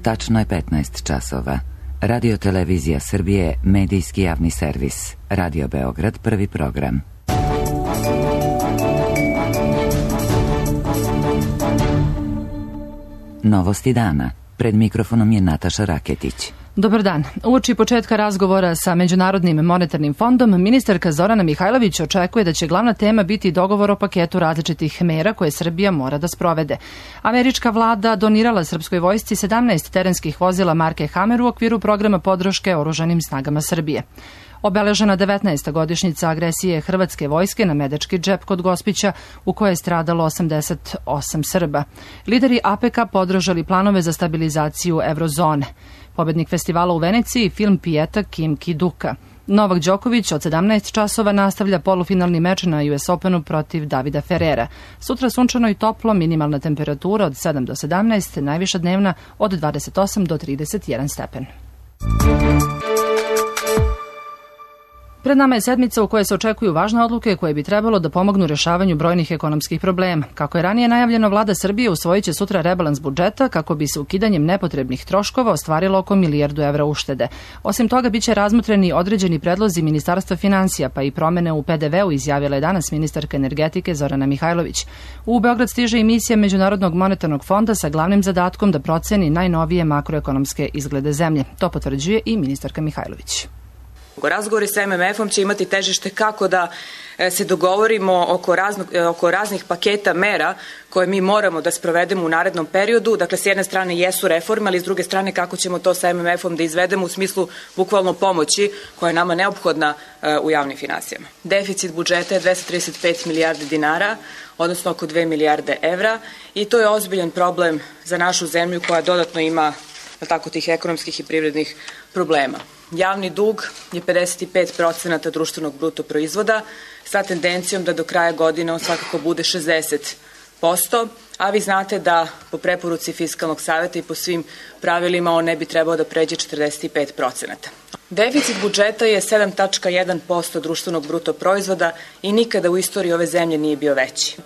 Tačno je 15 časova. Radio Televizija Srbije, medijski javni servis. Radio Beograd, prvi program. Novosti dana. Pred mikrofonom je Nataša Raketić. Dobar dan. Uoči početka razgovora sa Međunarodnim monetarnim fondom, ministarka Zorana Mihajlović očekuje da će glavna tema biti dogovor o paketu različitih mera koje Srbija mora da sprovede. Američka vlada donirala srpskoj vojsci 17 terenskih vozila marke Hammer u okviru programa podrške oružanim snagama Srbije. Obeležena 19. godišnjica agresije hrvatske vojske na Medački džep kod Gospića, u kojoj je stradalo 88 Srba. Lideri APK podržali planove za stabilizaciju eurozone. Pobednik festivala u Veneciji, film Pijeta Kim Ki-duka. Novak Đoković od 17 časova nastavlja polufinalni meč na US Openu protiv Davida Ferrera. Sutra sunčano i toplo, minimalna temperatura od 7 do 17, najviša dnevna od 28 do 31 stepen. Pred nama je sedmica u kojoj se očekuju važne odluke koje bi trebalo da pomognu rešavanju brojnih ekonomskih problema. Kako je ranije najavljeno, vlada Srbije usvojit će sutra rebalans budžeta kako bi se ukidanjem nepotrebnih troškova ostvarilo oko milijardu evra uštede. Osim toga, biće razmotreni određeni predlozi Ministarstva finansija, pa i promene u PDV-u, izjavila je danas ministarka energetike Zorana Mihajlović. U Beograd stiže i misija Međunarodnog monetarnog fonda sa glavnim zadatkom da proceni najnovije makroekonomske izglede zemlje. To potvrđuje i ministarka Mihajlović. Razgovori sa MMF-om će imati težište kako da se dogovorimo oko raznih paketa mera koje mi moramo da sprovedemo u narednom periodu. Dakle, s jedne strane jesu reforme, ali s druge strane kako ćemo to sa MMF-om da izvedemo u smislu bukvalno pomoći koja je nama neophodna u javnim finansijama. Deficit budžeta je 235 milijardi dinara, odnosno oko 2 milijarde evra, i to je ozbiljan problem za našu zemlju koja dodatno ima tih ekonomskih i privrednih problema. Javni dug je 55% društvenog bruto proizvoda sa tendencijom da do kraja godine on svakako bude 60%, a vi znate da po preporuci Fiskalnog saveta i po svim pravilima on ne bi trebao da pređe 45%. Deficit budžeta je 7,1% društvenog bruto proizvoda i nikada u istoriji ove zemlje nije bio veći.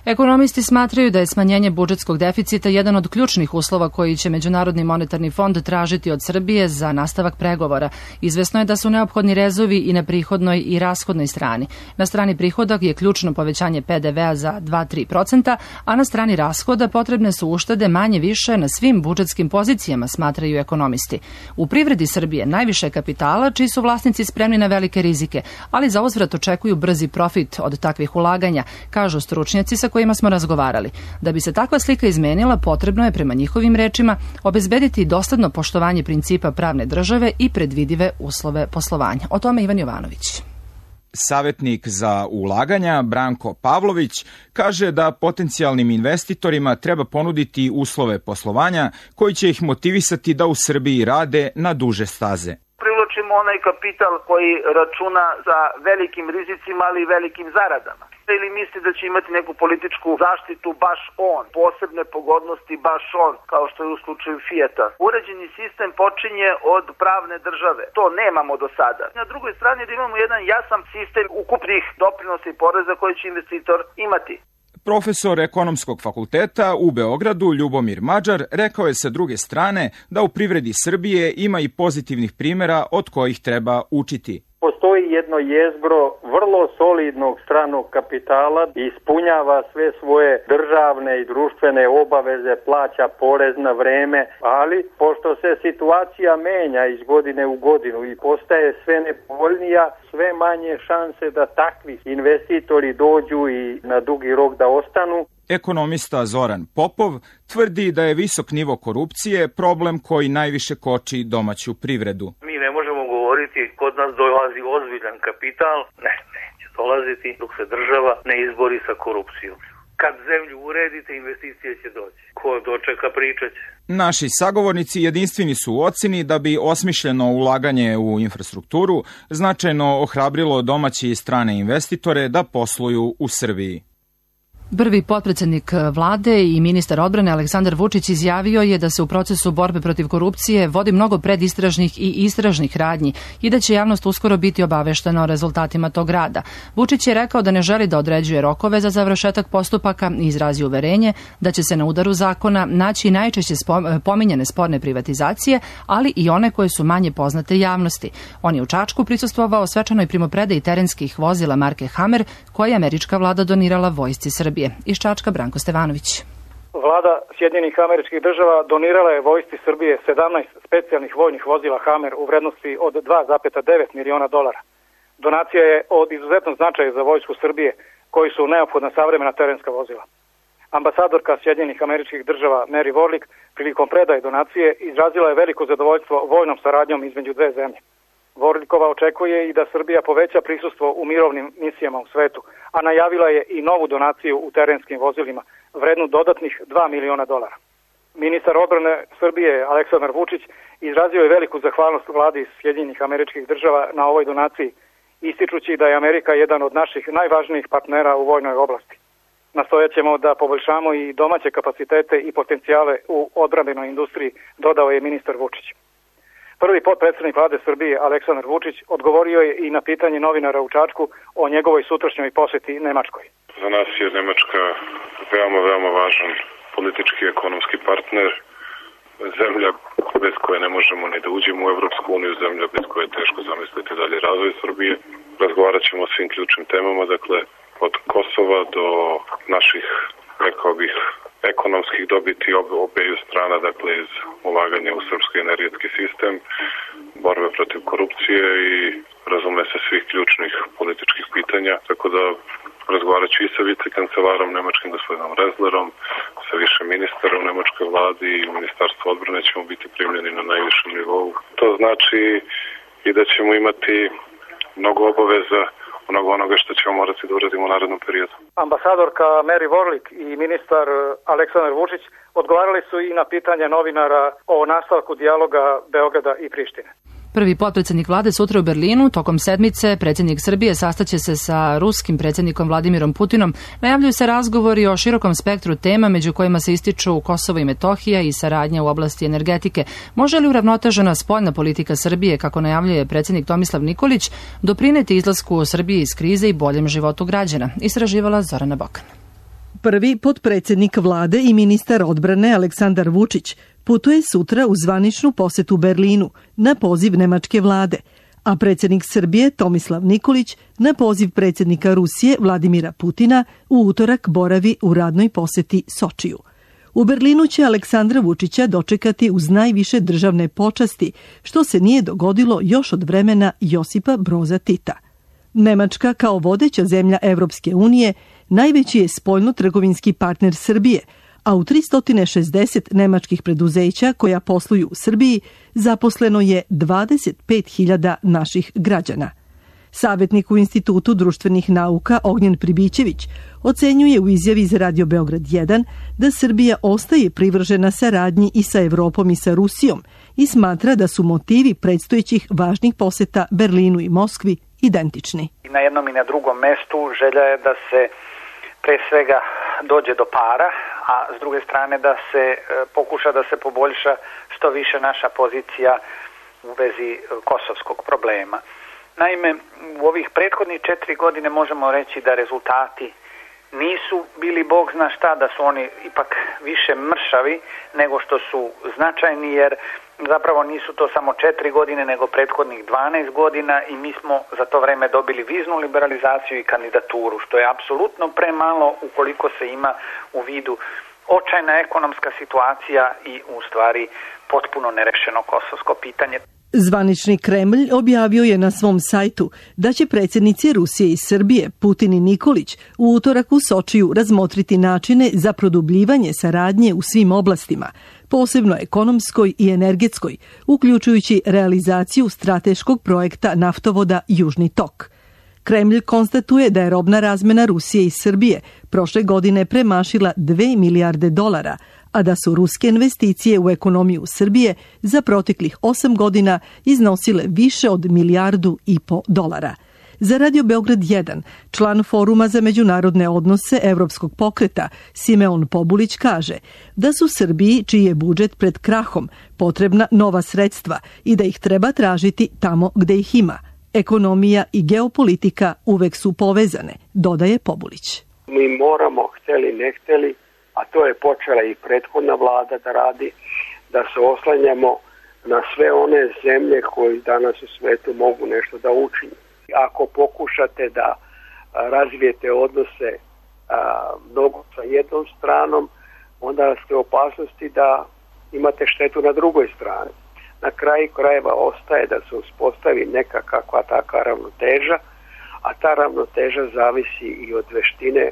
Ekonomisti smatraju da je smanjenje budžetskog deficita jedan od ključnih uslova koji će Međunarodni monetarni fond tražiti od Srbije za nastavak pregovora. Izvesno je da su neophodni rezovi i na prihodnoj i rashodnoj strani. Na strani prihoda je ključno povećanje PDV-a za 2-3%, a na strani rashoda potrebne su uštede manje više na svim budžetskim pozicijama, smatraju ekonomisti. U privredi Srbije najviše kapitala, čiji su vlasnici spremni na velike rizike, ali za uzvrat očekuju brzi profit od takvih ulaganja, kažu stručnjaci sa kojima smo razgovarali. Da bi se takva slika izmenila, potrebno je, prema njihovim rečima, obezbediti dosledno poštovanje principa pravne države i predvidive uslove poslovanja. O tome Ivan Jovanović. Savetnik za ulaganja Branko Pavlović kaže da potencijalnim investitorima treba ponuditi uslove poslovanja koji će ih motivisati da u Srbiji rade na duže staze. Privlačimo onaj kapital koji računa sa velikim rizicima, ali i velikim zaradama. Ili misli da će imati neku političku zaštitu baš on, posebne pogodnosti baš on, kao što je u slučaju Fijata. Uređeni sistem počinje od pravne države. To nemamo do sada. Na drugoj strani da imamo jedan jasan sistem ukupnih doprinosa i poreza koji će investitor imati. Profesor ekonomskog fakulteta u Beogradu Ljubomir Mađar rekao je sa druge strane da u privredi Srbije ima i pozitivnih primjera od kojih treba učiti. Postoji jedno jezgro vrlo solidnog stranog kapitala, ispunjava sve svoje državne i društvene obaveze, plaća porez na vreme, ali pošto se situacija menja iz godine u godinu i postaje sve nepovoljnija, sve manje šanse da takvi investitori dođu i na dugi rok da ostanu. Ekonomista Zoran Popov tvrdi da je visok nivo korupcije problem koji najviše koči domaću privredu. Mi ne možemo govoriti kod nas dolazi ozbiljan kapital, neće dolaziti dok se država ne izbori sa korupcijom. Kad zemlju uredite, investicije će doći. Ko dočeka, pričat će. Naši sagovornici jedinstveni su u oceni da bi osmišljeno ulaganje u infrastrukturu značajno ohrabrilo domaće i strane investitore da posluju u Srbiji. Prvi potpredsednik vlade i ministar odbrane Aleksandar Vučić izjavio je da se u procesu borbe protiv korupcije vodi mnogo predistražnih i istražnih radnji i da će javnost uskoro biti obaveštena o rezultatima tog rada. Vučić je rekao da ne želi da određuje rokove za završetak postupaka i izrazio uverenje da će se na udaru zakona naći najčešće pominjane sporne privatizacije, ali i one koje su manje poznate javnosti. On je u Čačku prisustvovao svečanoj primopredaji terenskih vozila marke Hammer koje je američka vlada donirala vojsci Srbije. Iz Čačka Branko Stevanović. Vlada Sjedinjenih Američkih Država donirala je vojsci Srbije 17 specijalnih vojnih vozila Hammer u vrednosti od $2,9 miliona. Donacija je od izuzetnog značaja za vojsku Srbije, koji su neophodna savremena terenska vozila. Ambasadorka Sjedinjenih Američkih Država Mary Warlick prilikom predaje donacije izrazila je veliko zadovoljstvo vojnom saradnjom između dve zemlje. Warlickova očekuje i da Srbija poveća prisustvo u mirovnim misijama u svetu, a najavila je i novu donaciju u terenskim vozilima, vrednu dodatnih $2 miliona. Ministar odbrane Srbije Aleksandar Vučić izrazio je veliku zahvalnost vladi Sjedinjenih Američkih Država na ovoj donaciji, ističući da je Amerika jedan od naših najvažnijih partnera u vojnoj oblasti. Nastojat ćemo da poboljšamo i domaće kapacitete i potencijale u odbrambenoj industriji, dodao je ministar Vučić. Prvi potpredsjednik vlade Srbije Aleksandar Vučić odgovorio je i na pitanje novinara u Čačku o njegovoj sutrašnjoj poseti Nemačkoj. Za nas je Nemačka veoma važan politički i ekonomski partner, zemlja bez koje ne možemo ni da uđemo u Evropsku uniju, zemlja bez koje je teško zamisliti dalje razvoj Srbije. Razgovarat ćemo o svim ključnim temama, dakle od Kosova do naših, rekao bih, ekonomskih dobiti obeju strana, dakle iz ulaganja u srpski energetski sistem, borbe protiv korupcije i razume se svih ključnih političkih pitanja, tako da razgovarat ću i sa vicekancelarom nemačkim gospodinom Rezlerom, sa više ministara u nemačkoj vladi i ministarstvu odbrane ćemo biti primljeni na najvišem nivou. To znači i da ćemo imati mnogo obaveza, mnogo onoga što ćemo morati da uradimo u narednom periodu. Ambasadorka Mary Warlick i ministar Aleksandar Vučić odgovarali su i na pitanje novinara o nastavku dijaloga Beograda i Prištine. Prvi potpredsjednik vlade sutra u Berlinu. Tokom sedmice predsjednik Srbije sastaće se sa ruskim predsjednikom Vladimirom Putinom. Najavljuju se razgovori o širokom spektru tema, među kojima se ističu Kosovo i Metohija i saradnja u oblasti energetike. Može li uravnotežena spoljna politika Srbije, kako najavljuje predsjednik Tomislav Nikolić, doprineti izlasku Srbije iz krize i boljem životu građana? Istraživala Zorana Bokan. Prvi potpredsjednik vlade i ministar odbrane Aleksandar Vučić putuje sutra u zvaničnu posetu Berlinu na poziv nemačke vlade, a predsjednik Srbije Tomislav Nikolić na poziv predsjednika Rusije Vladimira Putina u utorak boravi u radnoj poseti Sočiju. U Berlinu će Aleksandra Vučića dočekati uz najviše državne počasti, što se nije dogodilo još od vremena Josipa Broza Tita. Nemačka kao vodeća zemlja Evropske unije najveći je spoljno-trgovinski partner Srbije, a u 360 nemačkih preduzeća koja posluju u Srbiji zaposleno je 25.000 naših građana. Savjetnik u Institutu društvenih nauka Ognjen Pribićević ocenjuje u izjavi za Radio Beograd 1 da Srbija ostaje privržena saradnji i sa Evropom i sa Rusijom i smatra da su motivi predstojećih važnih poseta Berlinu i Moskvi identični. Na jednom i na drugom mestu želja je da se pre svega dođe do para, a s druge strane da se pokuša da se poboljša što više naša pozicija u vezi kosovskog problema. Naime, u ovih prethodnih 4 godine možemo reći da rezultati nisu bili bog zna šta, da su oni ipak više mršavi nego što su značajni, jer zapravo nisu to samo 4 godine nego prethodnih 12 godina i mi smo za to vreme dobili viznu liberalizaciju i kandidaturu, što je apsolutno premalo ukoliko se ima u vidu očajna ekonomska situacija i u stvari potpuno nerešeno kosovsko pitanje. Zvanični Kremlj objavio je na svom sajtu da će predsjednici Rusije i Srbije Putin i Nikolić u utorak u Sočiju razmotriti načine za produbljivanje saradnje u svim oblastima, posebno ekonomskoj i energetskoj, uključujući realizaciju strateškog projekta naftovoda Južni tok. Kremlj konstatuje da je robna razmena Rusije i Srbije prošle godine premašila $2 milijarde, a da su ruske investicije u ekonomiju Srbije za proteklih 8 godina iznosile više od $1,5 milijardu. Za Radio Beograd 1, član Foruma za međunarodne odnose Evropskog pokreta, Simeon Pobulić kaže da su Srbiji, čiji je budžet pred krahom, potrebna nova sredstva i da ih treba tražiti tamo gde ih ima. Ekonomija i geopolitika uvek su povezane, dodaje Pobulić. Mi moramo, hteli ne hteli, a to je počela i prethodna vlada da radi, da se oslanjamo na sve one zemlje koji danas u svetu mogu nešto da učinju. Ako pokušate da razvijete odnose mnogo sa jednom stranom, onda ste u opasnosti da imate štetu na drugoj strani. Na kraju krajeva ostaje da se uspostavi neka kakva taka ravnoteža, a ta ravnoteža zavisi i od veštine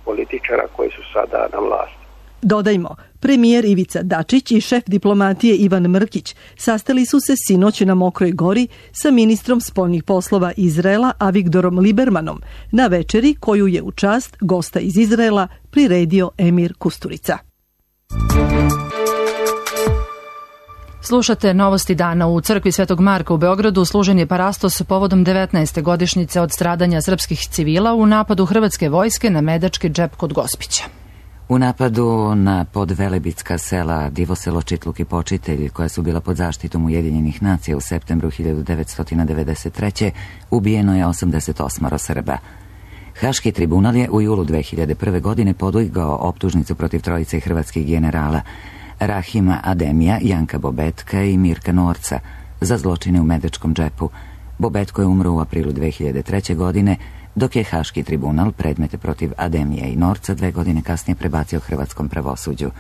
političara koji su sada na vlasti. Dodajmo, premijer Ivica Dačić i šef diplomatije Ivan Mrkić sastali su se sinoć na Mokroj Gori sa ministrom spoljnih poslova Izraela Avigdorom Libermanom na večeri koju je u čast gosta iz Izraela priredio emir Kusturica. Slušate novosti dana. U crkvi Svetog Marka u Beogradu služen je parastos povodom 19. godišnjice od stradanja srpskih civila u napadu hrvatske vojske na Medački džep kod Gospića. U napadu na podvelebitska sela Divoselo, Čitluk i Počitelj, koja su bila pod zaštitom Ujedinjenih nacija u septembru 1993. ubijeno je 88 Srba. Haški tribunal je u julu 2001. godine podigao optužnicu protiv trojice hrvatskih generala Rahima Ademija, Janka Bobetka i Mirka Norca za zločine u Medačkom džepu. Bobetko je umro u aprilu 2003. godine, dok je Haški tribunal predmete protiv Ademija i Norca 2 godine kasnije prebacio hrvatskom pravosuđu.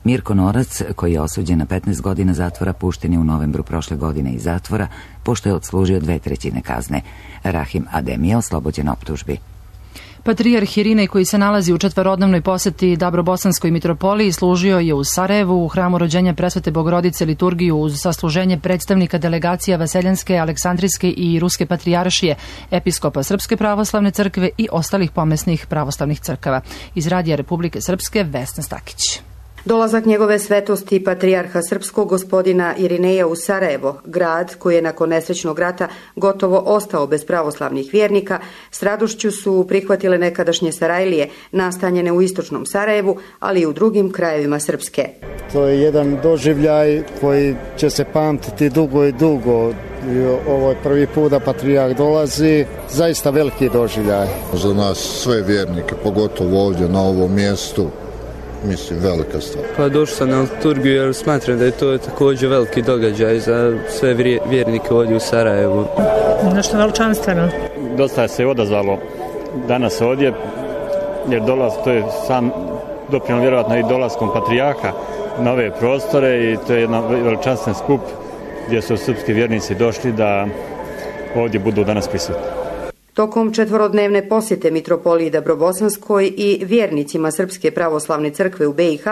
Mirko Norac, koji je osuđen na 15 godina zatvora, pušten je u novembru prošle godine iz zatvora, pošto je odslužio 2/3 kazne. Rahim Adem je oslobođen optužbi. Patrijarh Irinej, koji se nalazi u četvoroodnevnoj poseti Dabrobosanskoj mitropoliji, služio je u Sarajevu u hramu rođenja Presvete Bogorodice liturgiju uz sasluženje predstavnika delegacija Vaseljanske, Aleksandrijske i Ruske patrijaršije, episkopa Srpske pravoslavne crkve i ostalih pomesnih pravoslavnih crkava. Iz Radija Republike Srpske, Vesna Stakić. Dolazak njegove svetosti patrijarha srpskog gospodina Irineja u Sarajevo, grad koji je nakon nesrećnog rata gotovo ostao bez pravoslavnih vjernika, s radošću su prihvatile nekadašnje Sarajlije nastanjene u istočnom Sarajevu, ali i u drugim krajevima Srpske. To je jedan doživljaj koji će se pamtiti dugo i dugo. Ovo je prvi put da patrijarh dolazi, zaista veliki doživljaj. Za nas sve vjernike, pogotovo ovdje na ovom mjestu, mislim, velika stvar. Pa došao sam na liturgiju jer smatram da je to također veliki događaj za sve vjernike ovdje u Sarajevu. Nešto veličanstveno. Dosta se odazvalo danas ovdje, jer to je sam doprinijelo vjerojatno i dolaskom patrijarha na ove prostore i to je jedan veličanstven skup gdje su srpski vjernici došli da ovdje budu danas prisutni. Tokom četvorodnevne posjete mitropoliji Dabrobosanskoj i vjernicima Srpske pravoslavne crkve u BiH,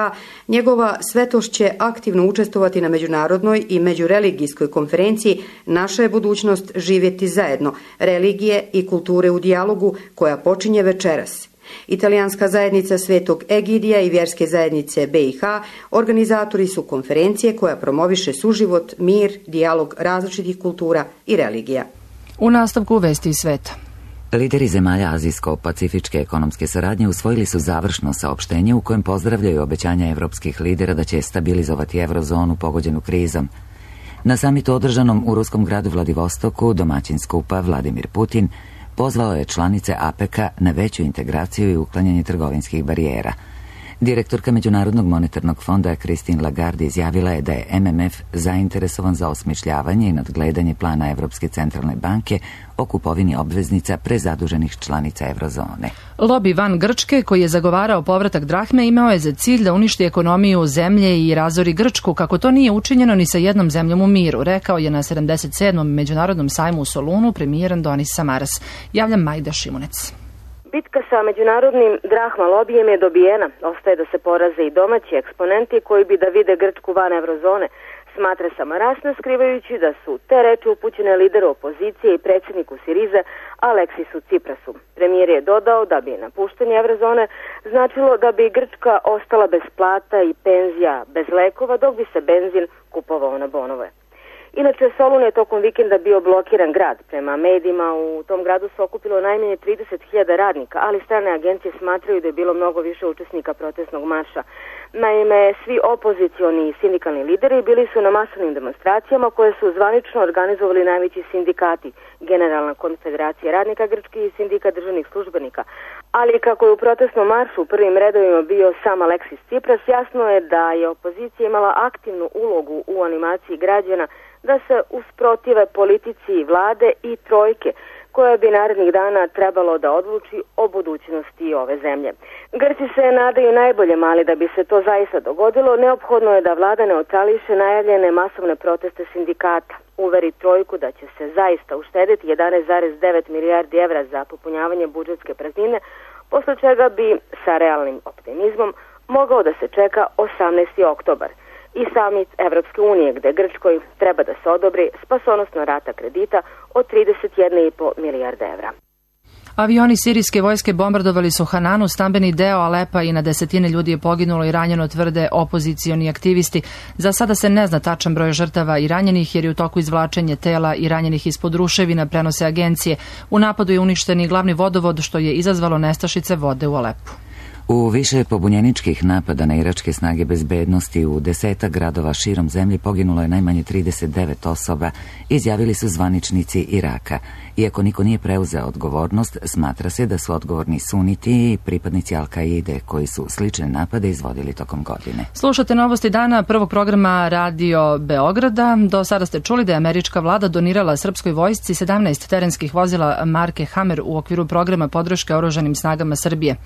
njegova svetošć će aktivno učestvovati na međunarodnoj i međureligijskoj konferenciji Naša je budućnost živjeti zajedno, religije i kulture u dijalogu, koja počinje večeras. Italijanska zajednica Svetog Egidija i vjerske zajednice BiH organizatori su konferencije koja promoviše suživot, mir, dijalog različitih kultura i religija. U nastavku vesti iz sveta. Lideri zemalja Azijsko-pacifičke ekonomske saradnje usvojili su završno saopštenje u kojem pozdravljaju obećanja evropskih lidera da će stabilizovati eurozonu pogođenu krizom. Na samitu održanom u ruskom gradu Vladivostoku domaćin skupa Vladimir Putin pozvao je članice APEC-a na veću integraciju i uklanjanje trgovinskih barijera. Direktorka Međunarodnog monetarnog fonda Christine Lagarde izjavila je da je MMF zainteresovan za osmišljavanje i nadgledanje plana Evropske centralne banke o kupovini obveznica prezaduženih članica eurozone. Lobby van Grčke, koji je zagovarao povratak drahme, imao je za cilj da uništi ekonomiju zemlje i razori Grčku, kako to nije učinjeno ni sa jednom zemljom u miru, rekao je na 77. Međunarodnom sajmu u Solunu premijer Andonis Samaras. Javlja Majda Šimunec. Bitka sa međunarodnim drahma lobijem je dobijena. Ostaje da se poraze i domaći eksponenti koji bi da vide Grčku van eurozone, smatra Samaras, skrivajući da su te reči upućene lideru opozicije i predsjedniku Sirize Aleksisu Ciprasu. Premijer je dodao da bi napuštanje eurozone značilo da bi Grčka ostala bez plata i penzija, bez lekova, dok bi se benzin kupovao na bonove. Inače, Solun je tokom vikenda bio blokiran grad. Prema medijima u tom gradu se okupilo najmanje 30.000 radnika, ali strane agencije smatraju da je bilo mnogo više učesnika protestnog marša. Naime, svi opozicioni i sindikalni lideri bili su na masovnim demonstracijama koje su zvanično organizovali najveći sindikati, Generalna konfederacija radnika Grčke i sindikat državnih službenika. Ali kako je u protestnom maršu u prvim redovima bio sam Aleksis Tsipras, jasno je da je opozicija imala aktivnu ulogu u animaciji građana da se usprotive politici vlade i trojke, koja bi narednih dana trebalo da odluči o budućnosti ove zemlje. Grci se nadaju najboljem, ali da bi se to zaista dogodilo, neophodno je da vlada neutrališe najavljene masovne proteste sindikata, uveri trojku da će se zaista uštediti 11,9 milijardi evra za popunjavanje budžetske praznine, posle čega bi sa realnim optimizmom mogao da se čeka 18. oktobar i samit Evropske unije, gde Grčkoj treba da se odobri spasonosna rata kredita od 31,5 milijarde evra. Avioni sirijske vojske bombardovali su Hananu, stambeni deo Alepa, i na desetine ljudi je poginulo i ranjeno, tvrde opozicioni aktivisti. Za sada se ne zna tačan broj žrtava i ranjenih, jer je u toku izvlačenje tela i ranjenih ispod ruševina, prenose agencije. U napadu je uništen i glavni vodovod, što je izazvalo nestašice vode u Alepu. U više pobunjeničkih napada na iračke snage bezbednosti u 10 gradova širom zemlje poginulo je najmanje 39 osoba, izjavili su zvaničnici Iraka. Iako niko nije preuzeo odgovornost, smatra se da su odgovorni suniti i pripadnici Al-Kaide, koji su slične napade izvodili tokom godine. Slušate novosti dana prvog programa Radio Beograda. Do sada ste čuli da je američka vlada donirala srpskoj vojsci 17 terenskih vozila marke Hammer u okviru programa podrške oružanim snagama Srbije.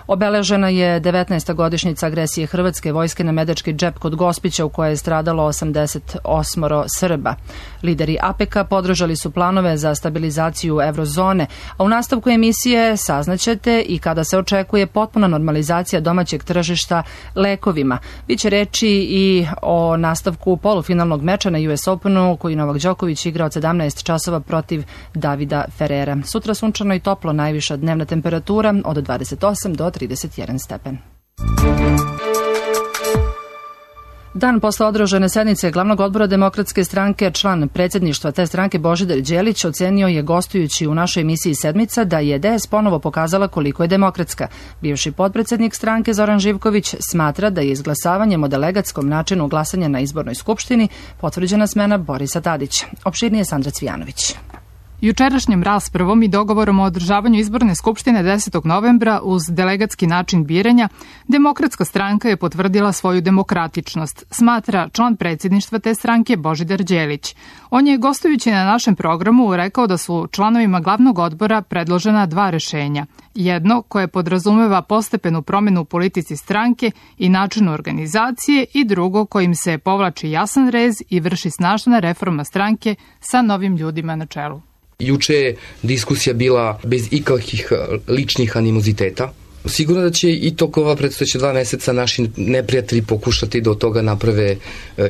Obeležena je 19. godišnjica agresije Hrvatske vojske na Medački džep kod Gospića, u kojoj je stradalo 88 Srba. Lideri APEC-a podržali su planove za stabilizaciju eurozone, a u nastavku emisije saznaćete i kada se očekuje potpuna normalizacija domaćeg tržišta lekovima. Biće reči i o nastavku polufinalnog meča na US Openu, koji Novak Đoković igra od 17 časova protiv Davida Ferrera. Sutra sunčano i toplo, najviša dnevna temperatura od 28 do 31 stepen. Dan posle održane sednice glavnog odbora Demokratske stranke, član predsjedništva te stranke Božidar Đelić ocenio je, gostujući u našoj emisiji Sedmica, da je DS ponovo pokazala koliko je demokratska. Bivši potpredsjednik stranke Zoran Živković smatra da je izglasavanjem o delegatskom načinu glasanja na izbornoj skupštini potvrđena smena Borisa Tadića. Opširnije Sandra Cvijanović. Jučerašnjom raspravom i dogovorom o održavanju izborne skupštine 10. novembra uz delegatski način biranja, Demokratska stranka je potvrdila svoju demokratičnost, smatra član predsjedništva te stranke Božidar Đelić. On je, gostujući na našem programu, rekao da su članovima glavnog odbora predložena dva rešenja. Jedno koje podrazumeva postepenu promjenu u politici stranke i načinu organizacije i drugo kojim se povlači jasan rez i vrši snažna reforma stranke sa novim ljudima na čelu. Juče je diskusija bila bez ikakvih ličnih animoziteta. Sigurno da će i tokom ova predstojeća 2 meseca naši neprijatelji pokušati da od toga naprave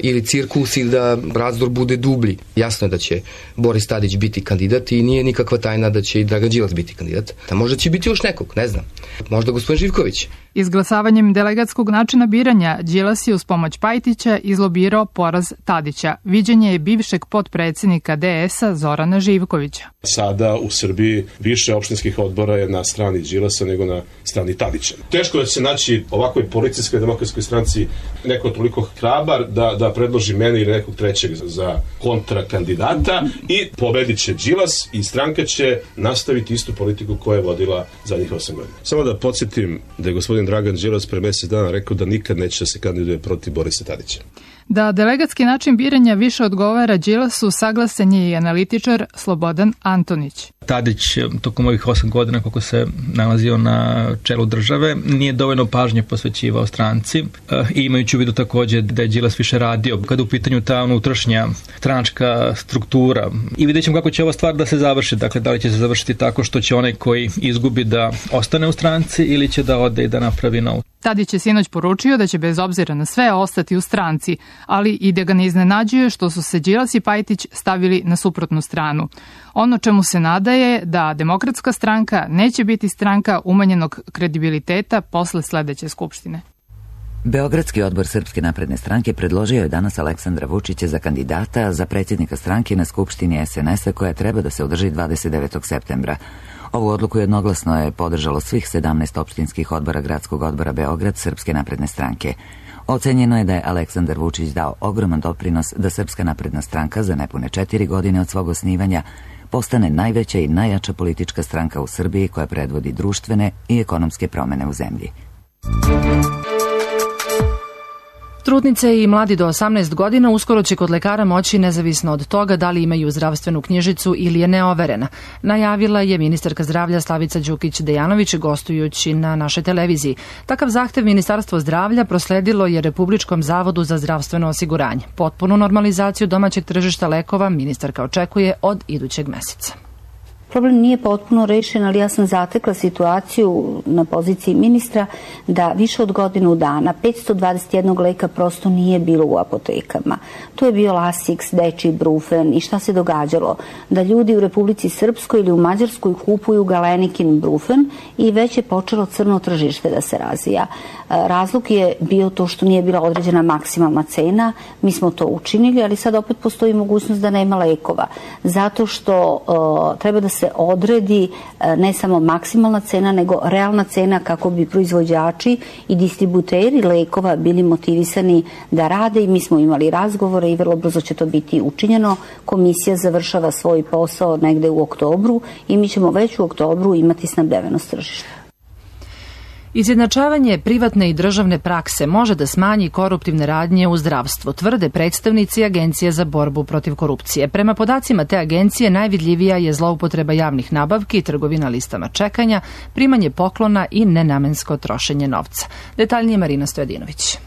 ili cirkus ili da razdor bude dublji. Jasno je da će Boris Tadić biti kandidat i nije nikakva tajna da će i Dragan Đilas biti kandidat. Da možda će biti još nekog, ne znam. Možda gospodin Živković. Izglasavanjem delegatskog načina biranja Đilas je uz pomoć Pajtića izlobirao poraz Tadića. Viđenje je bivšeg potpredsjednika DS-a Zorana Živkovića. Sada u Srbiji više opštinskih odbora je na strani Đilasa nego na strani Tadića. Teško da će se naći ovakvoj policijskoj demokratskoj stranci neko toliko hrabar da predloži mene ili nekog trećeg za kontrakandidata i pobedit će Đilas i stranka će nastaviti istu politiku koja je vodila zadnjih 8 godina. Samo da podsjetim da je gospodin Dragan Đilas pre mjesec dana rekao da nikad neće se kandiduje protiv Borisa Tadića. Da delegatski način biranja više odgovara Đilasu, saglasan je i analitičar Slobodan Antonić. Tadić tokom ovih 8 godina kako se nalazio na čelu države nije dovoljno pažnje posvećivao stranci i imajući u vidu također da je Đilas više radio kada u pitanju ta unutrašnja stranačka struktura. I vidjet ćemo kako će ova stvar da se završi. Dakle, da li će se završiti tako što će onaj koji izgubi da ostane u stranci ili će da ode i da napravi novu. Tadić je sinoć poručio da će bez obzira na sve ostati u stranci, ali i da ga ne iznenađuje što su se Đilas i Pajtić stavili na suprotnu stranu. Ono čemu se nada je da Demokratska stranka neće biti stranka umanjenog kredibiliteta posle sledeće skupštine. Beogradski odbor Srpske napredne stranke predložio je danas Aleksandra Vučića za kandidata za predsjednika stranke na Skupštini SNS-a koja treba da se održi 29. septembra. Ovu odluku jednoglasno je podržalo svih 17 opštinskih odbora Gradskog odbora Beograd Srpske napredne stranke. Ocenjeno je da je Aleksandar Vučić dao ogroman doprinos da Srpska napredna stranka za nepune 4 godine od svog osnivanja postane najveća i najjača politička stranka u Srbiji koja predvodi društvene i ekonomske promene u zemlji. Trudnice i mladi do 18 godina uskoro će kod lekara moći, nezavisno od toga da li imaju zdravstvenu knjižicu ili je neoverena. Najavila je ministarka zdravlja Slavica Đukić-Dejanović gostujući na našoj televiziji. Takav zahtev Ministarstvo zdravlja prosledilo je Republičkom zavodu za zdravstveno osiguranje. Potpunu normalizaciju domaćeg tržišta lekova ministarka očekuje od idućeg meseca. Problem nije potpuno rešen, ali ja sam zatekla situaciju na poziciji ministra da više od godinu dana 521 leka prosto nije bilo u apotekama. To je bio Lasix, dečiji brufen i šta se događalo? Da ljudi u Republici Srpskoj ili u Mađarskoj kupuju galenikin brufen i već je počelo crno tržište da se razvija. Razlog je bio to što nije bila određena maksimalna cena, mi smo to učinili, ali sad opet postoji mogućnost da nema lekova. Zato što treba da se odredi ne samo maksimalna cena, nego realna cena kako bi proizvođači i distributeri lekova bili motivisani da rade i mi smo imali razgovore i vrlo brzo će to biti učinjeno. Komisija završava svoj posao negde u oktobru i mi ćemo već u oktobru imati snabdevenost tržišta. Izjednačavanje privatne i državne prakse može da smanji koruptivne radnje u zdravstvu, tvrde predstavnici Agencije za borbu protiv korupcije. Prema podacima te agencije najvidljivija je zloupotreba javnih nabavki, trgovina listama čekanja, primanje poklona i nenamensko trošenje novca. Detaljnije Marina Stojadinović.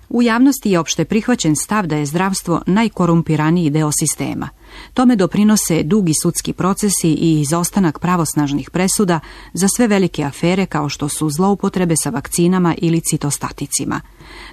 U javnosti je opšte prihvaćen stav da je zdravstvo najkorumpiraniji deo sistema. Tome doprinose dugi sudski procesi i izostanak pravosnažnih presuda za sve velike afere kao što su zloupotrebe sa vakcinama ili citostaticima.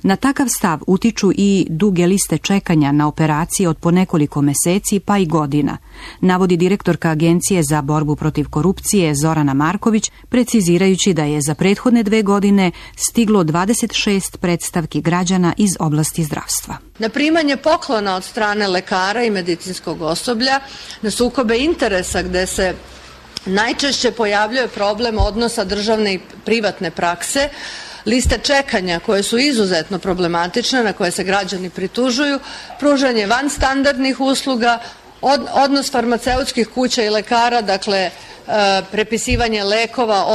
Na takav stav utiču i duge liste čekanja na operacije od po nekoliko meseci pa i godina, navodi direktorka Agencije za borbu protiv korupcije Zorana Marković, precizirajući da je za prethodne 2 godine stiglo 26 predstavki građana iz oblasti zdravstva. Na primanje poklona od strane lekara i medicinskog osoblja, na sukobe interesa gde se najčešće pojavljuje problem odnosa državne i privatne prakse, liste čekanja koje su izuzetno problematične, na koje se građani pritužuju, pružanje vanstandardnih usluga, odnos farmaceutskih kuća i lekara, dakle prepisivanje lekova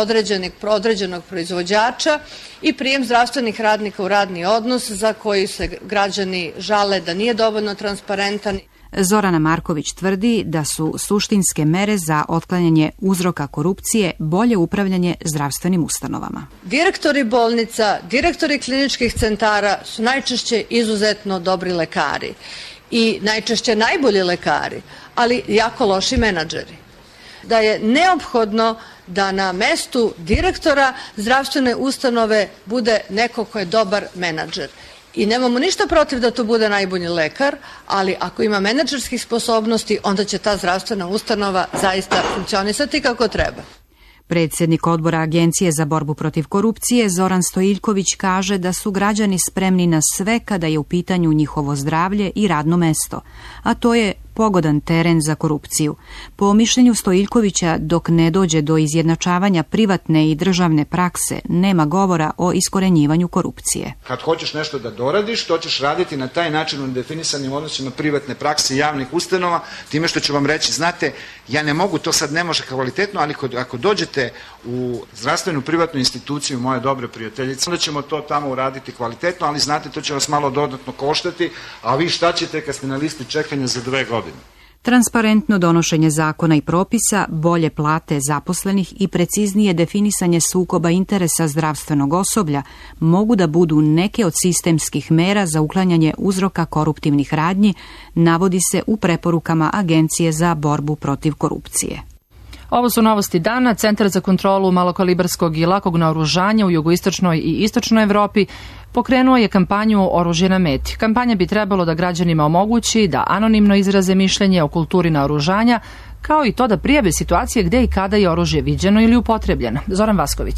određenog proizvođača i prijem zdravstvenih radnika u radni odnos za koji se građani žale da nije dovoljno transparentan. Zorana Marković tvrdi da su suštinske mere za otklanjanje uzroka korupcije bolje upravljanje zdravstvenim ustanovama. Direktori bolnica, direktori kliničkih centara su najčešće izuzetno dobri lekari i najčešće najbolji lekari, ali jako loši menadžeri. Da je neophodno da na mestu direktora zdravstvene ustanove bude neko ko je dobar menadžer. I nemamo ništa protiv da to bude najbolji lekar, ali ako ima menadžerskih sposobnosti, onda će ta zdravstvena ustanova zaista funkcionisati kako treba. Predsjednik odbora Agencije za borbu protiv korupcije Zoran Stojiljković kaže da su građani spremni na sve kada je u pitanju njihovo zdravlje i radno mesto, a to je pogodan teren za korupciju. Po mišljenju Stojiljkovića, dok ne dođe do izjednačavanja privatne i državne prakse, nema govora o iskorenjivanju korupcije. Kad hoćeš nešto da doradiš, to ćeš raditi na taj način u nedefinisanim odnosima privatne prakse i javnih ustanova, time što ću vam reći, znate, ja ne mogu, to sad ne može kvalitetno, ali ako dođete u zdravstvenu privatnu instituciju, moje dobre prijateljice, onda ćemo to tamo uraditi kvalitetno, ali znate, to će vas malo dodatno koštati, a vi šta ćete kad ste na listi čekanja za 2 godine? Transparentno donošenje zakona i propisa, bolje plate zaposlenih i preciznije definisanje sukoba interesa zdravstvenog osoblja mogu da budu neke od sistemskih mera za uklanjanje uzroka koruptivnih radnji, navodi se u preporukama Agencije za borbu protiv korupcije. Ovo su novosti dana. Centar za kontrolu malokalibarskog i lakog naoružanja u jugoistočnoj i istočnoj Evropi pokrenuo je kampanju Oružje na meti. Kampanja bi trebalo da građanima omogući da anonimno izraze mišljenje o kulturi naoružanja, kao i to da prijave situacije gde i kada je oružje viđeno ili upotrebljeno. Zoran Vasković.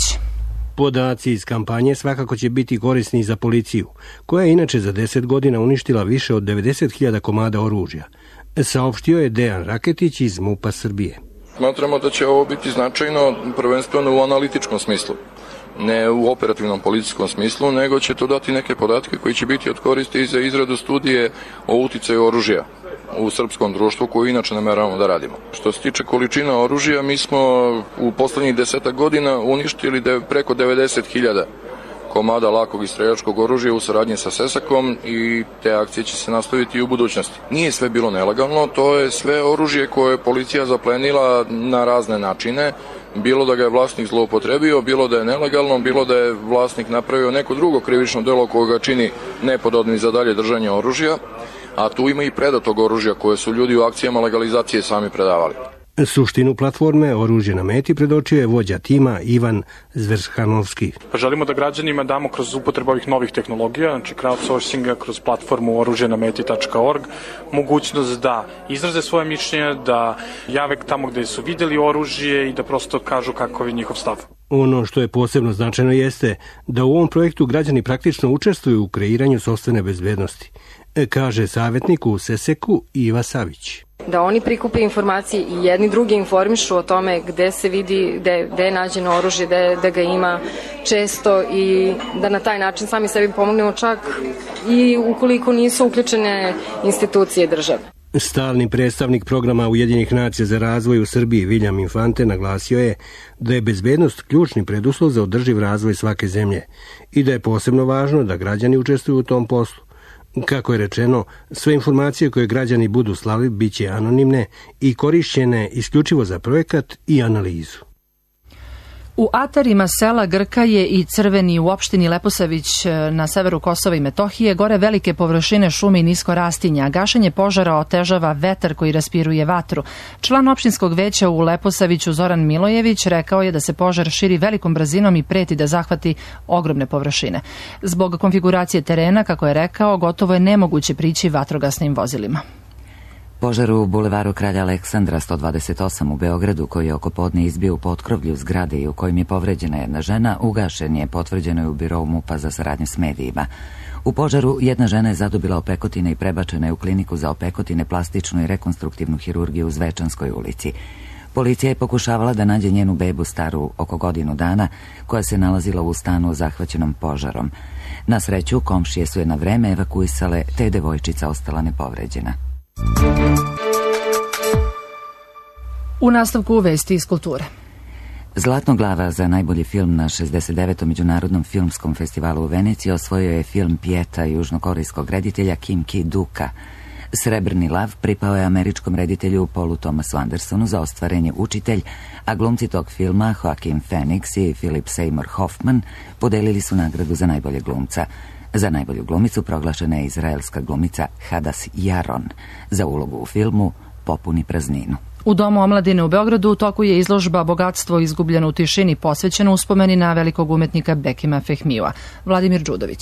Podaci iz kampanje svakako će biti korisni za policiju, koja je inače za 10 godina uništila više od 90.000 komada oružja, saopštio je Dejan Raketić iz MUP-a Srbije. Smatramo da će ovo biti značajno prvenstveno u analitičkom smislu, ne u operativnom policijskom smislu, nego će to dati neke podatke koji će biti od koristi i za izradu studije o uticaju oružja u srpskom društvu koju inače nameravamo da radimo. Što se tiče količina oružja, mi smo u poslednjih 10 godina uništili preko 90.000 komada lakog i streljačkog oružja u saradnji sa Sesakom i te akcije će se nastaviti i u budućnosti. Nije sve bilo nelegalno, to je sve oružje koje je policija zaplenila na razne načine, bilo da ga je vlasnik zloupotrebio, bilo da je nelegalno, bilo da je vlasnik napravio neko drugo krivično delo koje ga čini nepodobnim za dalje držanje oružja, a tu ima i predatog oružja koje su ljudi u akcijama legalizacije sami predavali. Suštinu platforme Oružje na meti predočio je vođa tima Ivan Zvershanovski. Želimo da građanima damo kroz upotrebu ovih novih tehnologija, znači crowdsourcinga, kroz platformu oružjenameti.org, mogućnost da izraze svoje mišljenje, da jave tamo gde su videli oružje i da prosto kažu kakav je njihov stav. Ono što je posebno značajno jeste da u ovom projektu građani praktično učestvuju u kreiranju sopstvene bezbednosti, kaže savjetnik u Seseku Iva Savić. Da oni prikupe informacije i jedni drugi informišu o tome gde se vidi, gde je nađeno oružje, da ga ima često i da na taj način sami sebi pomognemo čak i ukoliko nisu uključene institucije države. Stalni predstavnik programa Ujedinjenih nacija za razvoj u Srbiji William Infante naglasio je da je bezbednost ključni preduslov za održiv razvoj svake zemlje i da je posebno važno da građani učestvuju u tom poslu. Kako je rečeno, sve informacije koje građani budu slali bit će anonimne i korišćene isključivo za projekat i analizu. U atarima sela Grkaje i Crveni u opštini Leposavić na severu Kosova i Metohije gore velike površine šume i nisko rastinja. Gašenje požara otežava vetar koji raspiruje vatru. Član opštinskog veća u Leposaviću Zoran Milojević rekao je da se požar širi velikom brzinom i preti da zahvati ogromne površine. Zbog konfiguracije terena, kako je rekao, gotovo je nemoguće prići vatrogasnim vozilima. Požar u bulevaru Kralja Aleksandra 128 u Beogradu, koji je oko podne izbio u potkrovlju zgrade i u kojim je povređena jedna žena, ugašen je, potvrđeno je u birou MUP-a za saradnju s medijima. U požaru jedna žena je zadobila opekotine i prebačena je u kliniku za opekotine, plastičnu i rekonstruktivnu hirurgiju u Zvečanskoj ulici. Policija je pokušavala da nađe njenu bebu staru oko godinu dana, koja se nalazila u stanu zahvaćenom požarom. Na sreću, komšije su je na vreme evakuisale, te je devojčica ostala nepovređena. U nastavku vesti iz kulture. Zlatno glava za najbolji film na 69. Međunarodnom filmskom festivalu u Veneciji osvojio je film Pieta južnokorejskog reditelja Kim Ki-duka. Srebrni lav pripao je američkom reditelju Paulu Thomasu Andersonu za ostvarenje Učitelj, a glumci tog filma Joaquin Phoenix i Philip Seymour Hoffman podelili su nagradu za najbolje glumca. Za najbolju glumicu proglašena je izraelska glumica Hadas Jaron za ulogu u filmu Popuni prazninu. U Domu omladine u Beogradu u toku je izložba Bogatstvo izgubljeno u tišini, posvećena uspomeni na velikog umetnika Bekima Fehmija. Vladimir Đudović.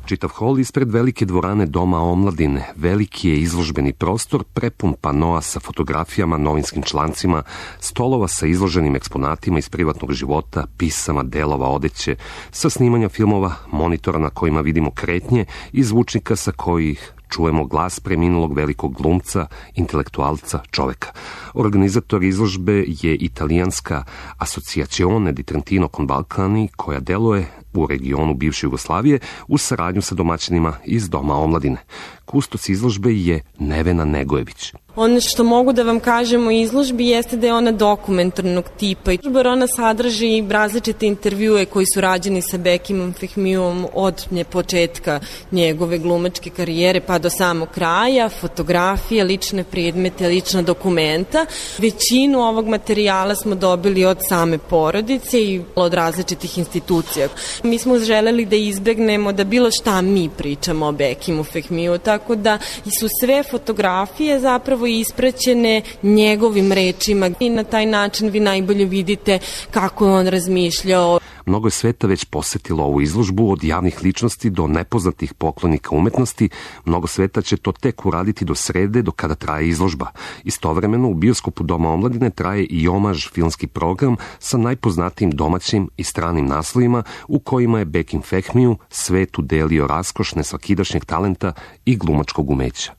Čitav hol ispred velike dvorane Doma omladine, veliki je izložbeni prostor prepun panoa sa fotografijama, novinskim člancima, stolova sa izloženim eksponatima iz privatnog života, pisama, delova odeće, sa snimanja filmova, monitora na kojima vidimo kretnje i zvučnika sa kojih čujemo glas preminulog velikog glumca, intelektualca, čoveka. Organizator izložbe je italijanska Associazione di Trentino con Balcani, koja deluje u regionu bivše Jugoslavije u saradnju sa domaćinima iz Doma omladine. Kustos izložbe je Nevena Negojević. Ono što mogu da vam kažem o izložbi jeste da je ona dokumentarnog tipa. Ona sadrži različite intervjue koji su rađeni sa Bekimom Fehmijom od početka njegove glumačke karijere pa do samog kraja, fotografije, lične predmete, lična dokumenta. Većinu ovog materijala smo dobili od same porodice i od različitih institucija. Mi smo želeli da izbegnemo da bilo šta mi pričamo o Bekimu Fehmiju, tako da su sve fotografije zapravo ispraćene njegovim rečima i na taj način vi najbolje vidite kako je on razmišljao. Mnogo je sveta već posetilo ovu izložbu, od javnih ličnosti do nepoznatih poklonika umetnosti. Mnogo sveta će to tek uraditi do srede, do kada traje izložba. Istovremeno u bioskopu Doma omladine traje i omaž filmski program sa najpoznatijim domaćim i stranim naslovima u kojima je Bekim Fehmiju svet udelio raskoš nesvakidašnjeg talenta i glumačkog umeća.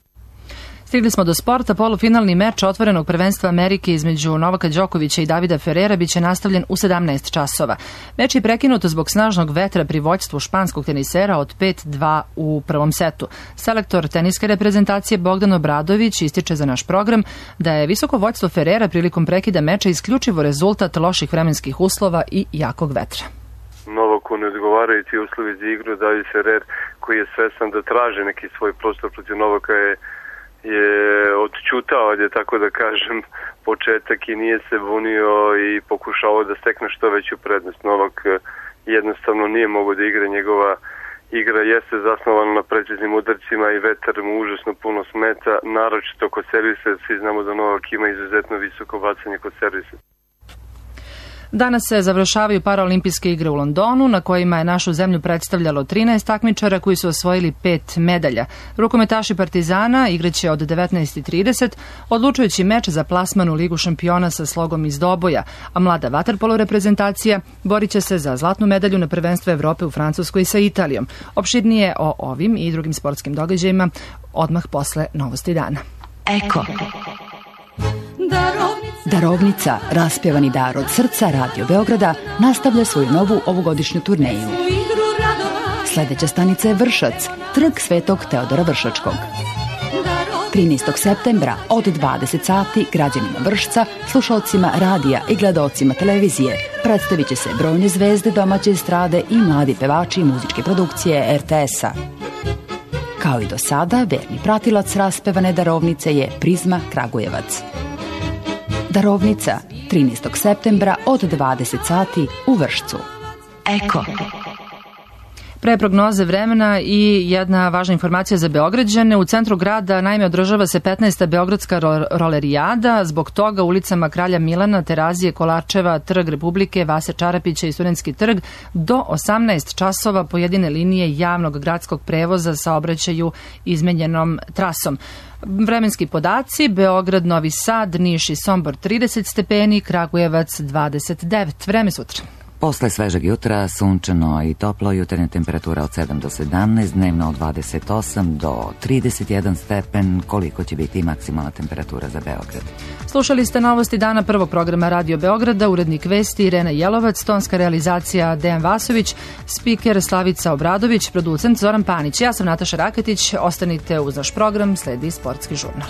Stigli smo do sporta. Polufinalni meč otvorenog prvenstva Amerike između Novaka Đokovića i Davida Ferrera biće nastavljen u 17 časova. Meč je prekinut zbog snažnog vetra pri vođstvu španskog tenisera od 5-2 u prvom setu. Selektor teniske reprezentacije Bogdan Obradović ističe za naš program da je visoko vođstvo Ferrera prilikom prekida meča isključivo rezultat loših vremenskih uslova i jakog vetra. Novaku ne odgovarajući uslovi za igru, David Ferrer koji je svestan da traži neki svoj prostor protiv Novaka je odčutao, tako da kažem, početak i nije se bunio i pokušao da stekne što veću prednost. Novak jednostavno nije mogao da igra, njegova igra jeste zasnovana na preciznim udarcima i vetar mu užasno puno smeta, naročito kod servisa. Svi znamo da Novak ima izuzetno visoko bacanje kod servisa. Danas se završavaju paraolimpijske igre u Londonu, na kojima je našu zemlju predstavljalo 13 takmičara koji su osvojili 5 medalja. Rukometaši Partizana igraće od 19:30 odlučujući meč za plasman u Ligu šampiona sa slogom iz Doboja, a mlada vaterpolo reprezentacija borit će se za zlatnu medalju na prvenstvu Evrope u Francuskoj sa Italijom. Opširnije o ovim i drugim sportskim događajima odmah posle novosti dana. Eko. Darovnica, raspjevani dar od srca Radio Beograda, nastavlja svoju novu ovogodišnju turneju. Sljedeća stanica je Vršac, trg Svetog Teodora Vršačkog. 13. septembra od 20 sati građanima Vršca, slušalcima radija i gledaocima televizije predstavit će se brojne zvezde domaće estrade i mladi pevači muzičke produkcije RTS-a. Kao i do sada, verni pratilac raspevane darovnice je Prizma Kragujevac. Darovnica, 13. septembra od 20 sati u Vršcu. Eko. Pre prognoze vremena i jedna važna informacija za Beograđane. U centru grada naime održava se 15. Beogradska rolerijada. Zbog toga ulicama Kralja Milana, Terazije, Kolačeva, Trg Republike, Vase Čarapića i Studentski trg do 18 časova pojedine linije javnog gradskog prevoza saobraćaju izmenjenom trasom. Vremenski podaci: Beograd, Novi Sad, Niš i Sombor 30 stepeni, Kragujevac 29. Vreme sutra. Posle svežeg jutra, sunčano i toplo, jutarnja temperatura od 7 do 17, dnevno od 28 do 31 stepen, koliko će biti maksimalna temperatura za Beograd. Slušali ste novosti dana prvog programa Radio Beograda, urednik vesti Irena Jelovac, tonska realizacija Dejan Vasović, spiker Slavica Obradović, producent Zoran Panić. Ja sam Nataša Raketić, ostanite uz naš program, sledi sportski žurnal.